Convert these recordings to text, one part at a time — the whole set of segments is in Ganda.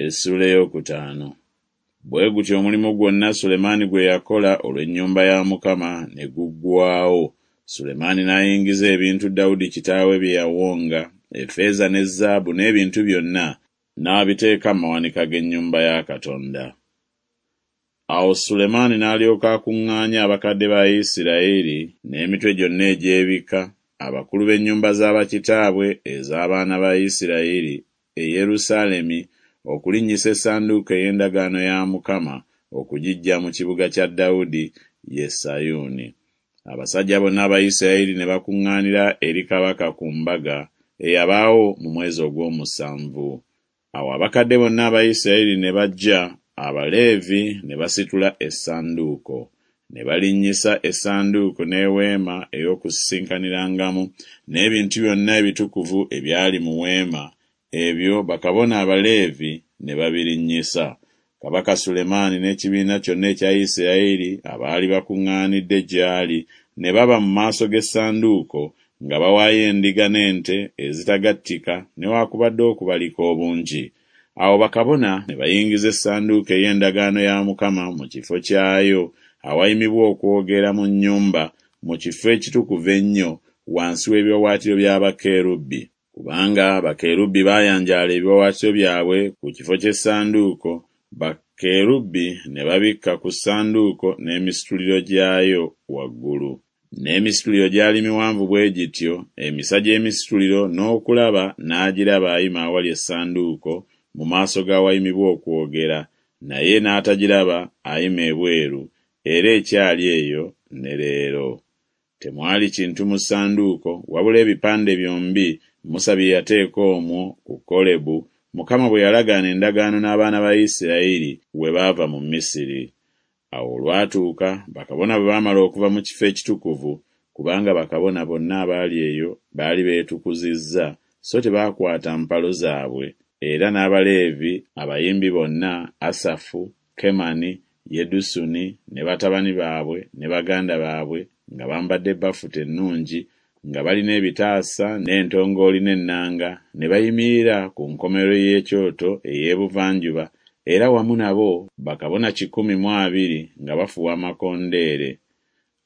Essuula eyookutaano. Bwe gutyo omulimu gwonna Sulemaani gwe yakola olw'ennyumba ya Mukama ne guggwaawo. Sulemaani n'ayingiza ebintu Dawudi kitaawe bye yawonga, effeeza ne zaabu n'ebintu byonna, n'abiteeka mu mawanika g'ennyumba ya Katonda. Awo Sulemaani n'alyoka akuŋŋaanya abakadde ba Isirayiri n'emitwe gyonna egy'ebika, abakulu b'ennyumba za bakitaabwe ez'abaana ba Isirayiri e Yerusaalemi okulinnyisa essanduuko ey'endagaano ya Mukama okugiggya mu kibuga kya Dawudi, ye Sayuuni. Abasajja bonna aba Isirayiri ne bakuŋŋaanira eri kabaka ku mbaga eyabaawo mu mwezi ogw'omusanvu. Awo abakadde bonna aba Isirayiri ne bajja, Abaleevi ne basitula essanduuko. Ne balinnyisa essanduuko n'eweema ey'okusisinkanirangamu n'ebintu byonna ebitukuvu ebyali mu weema, ebyo bakabona Abaleevi ne babirinnyisa. Kabaka Sulemaani n'ekibiina kyonna ekya Isirayiri abaali bakuŋŋaanidde gy'ali ne baba mu maaso g'essanduuko nga bawaayo endiga n'ente ezitagattika newaakubadde okubalika obungi. Awo bakabona ne bayingiza essanduuko ey'endagaano ya Mukama mu kifo kyayo awayimibwa okwogera mu nnyumba mu kifo ekitukuvu ennyo wansi w'ebiwaawaatiro bya bakerubi. Kubanga bakerubi baayanjaala ebiwaawaatiro byabwe ku kifo ky'essanduuko, bakerubi ne babikka ku ssanduuko n'emisituliro gyayo waggulu. N'emisituliro gyali miwanvu bwe gityo, emisa gy'emisituliro n'okulaba n'agiraba ayima awali essanduuko mu maaso g'awayimibwa okwogera, naye n'atagiraba ayima ebweru, era ekyali eyo ne leero. Temwali kintu mu ssanduuko wabula ebipande byombi Musa bye yateeka omwo ku Kolebu, Mukama bwe yalagaana endagaano n'abaana ba Isirayiri we baava mu Misiri. Awo olwatuuka, bakabona bwe baamala okuva mu kifo ekitukuvu, kubanga bakabona bonna abaali eyo baali beetukuzizza, so tebaakwata mpalo zaabwe, era n'Abaleevi abayimbi bonna, Asafu, Kemani, Yedusuni ne batabani baabwe ne baganda baabwe nga bambadde bafuta ennungi, nga balina ebitaasa n'entongooli n'ennanga, ne bayimirira ku nkomerero y'ekyoto ey'ebuvanjuba, era wamu nabo bakabona 120 nga bafuuwa amakondeere.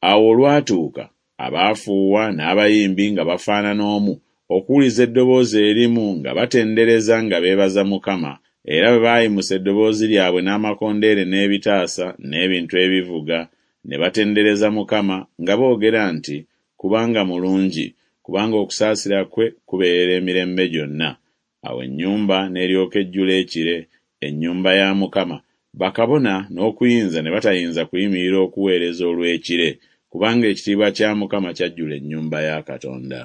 Awo olwatuuka, abaafuuwa n'abayimbi nga bafaanana omu, okuwuliza eddoboozi erimu nga batendereza nga beebaza Mukama, era bwe baayimusa eddoboozi lyabwe n'amakondeere n'ebitaasa n'ebintu ebivuga, ne batendereza Mukama nga boogera nti Kubanga mulungi, kubanga okusaasira kwe kubeerera emirembe gyonna. Awo ennyumba n'eryoka ejjula ekire, ennyumba ya Mukama, bakabona n'okuyinza ne batayinza kuyimirira okuweereza olw'ekire, kubanga ekitiibwa kya Mukama kyajjula ennyumba ya Katonda.